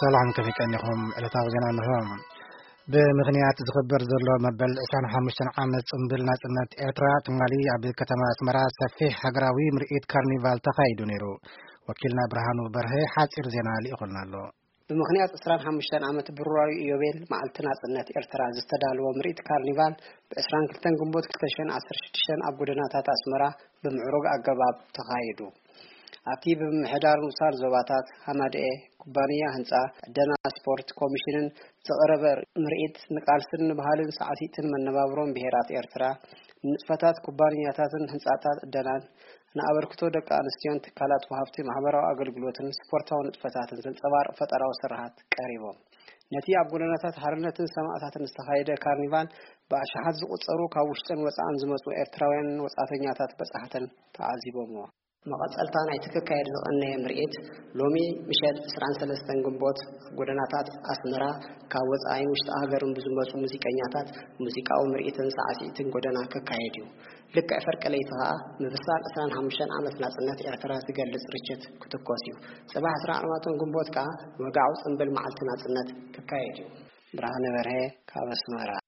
ሰላም፣ ከመይ ቀኒኹም? ዕለታዊ ዜና እንሆ። ብምኽንያት ዝኽበር ዘሎ መበል ዕስራን ሓሙሽተን ዓመት ጽምብል ናጽነት ኤርትራ፣ ትማሊ ኣብ ከተማ ኣስመራ ሰፊሕ ሃገራዊ ምርኢት ካርኒቫል ተኻይዱ ነይሩ። ወኪልና ብርሃኑ በርሀ ሓጺር ዜና ልኢኹልና ኣሎ። ብምኽንያት ዕስራን ሓሙሽተን ዓመት ብሩራዊ ኢዮቤል መዓልቲ ናጽነት ኤርትራ ዝተዳለወ ምርኢት ካርኒቫል፣ ብ ዕስራን ክልተን ግንቦት ክልተ ሽሕን ዓሰርተ ሽዱሽተን ኣብ ጎደናታት ኣስመራ ብምዕሩግ ኣገባብ ተኻይዱ። ኣብቲ ብምምሕዳር ንኡሳን ዞባታት ሃማደኤ፣ ኩባንያ ህንጻ፣ ዕደና ስፖርት ኮሚሽንን ዝቐረበ ምርኢት፣ ንቃልስን ንባህልን ሳዕሲዕትን መነባብሮን ብሄራት ኤርትራ፣ ንንጥፈታት ኩባንያታትን ህንጻታት ዕደናን፣ ንኣበርክቶ ደቂ ኣንስትዮን ትካላት ወሃብቲ ማሕበራዊ ኣገልግሎትን ስፖርታዊ ንጥፈታትን ዘንጸባርቕ ፈጠራዊ ስርሓት ቀሪቦም። ነቲ ኣብ ጎደናታት ሓርነትን ሰማእታትን ዝተኻየደ ካርኒቫል፣ ብኣሽሓት ዝቑጸሩ ካብ ውሽጥን ወጻእን ዝመጹ ኤርትራውያንን ወጻእተኛታት በጻሕትን ተዓዚቦምዎ። መቐጸልታ ናይቲ ክካየድ ዝቐነየ ምርኢት፣ ሎሚ ምሸት ዕስራን ሰለስተን ግንቦት፣ ኣብ ጎደናታት ኣስመራ ካብ ወጻኢን ውሽጢ ሃገርን ብዝመጹ ሙዚቀኛታት ሙዚቃዊ ምርኢትን ሳዕሲዕትን ጎደና ክካየድ እዩ። ልክዕ ፍርቂ ለይቲ ከኣ፣ ምብሳል ዕስራን ሓሙሽተን ዓመት ናጽነት ኤርትራ ዝገልጽ ርችት ክትኮስ እዩ። ጽባሕ ዕስራን ኣርባዕተን ግንቦት ከኣ፣ ወግዓዊ ጽምብል መዓልቲ ናጽነት ክካየድ እዩ። ብርሃነ በርሀ፣ ካብ ኣስመራ።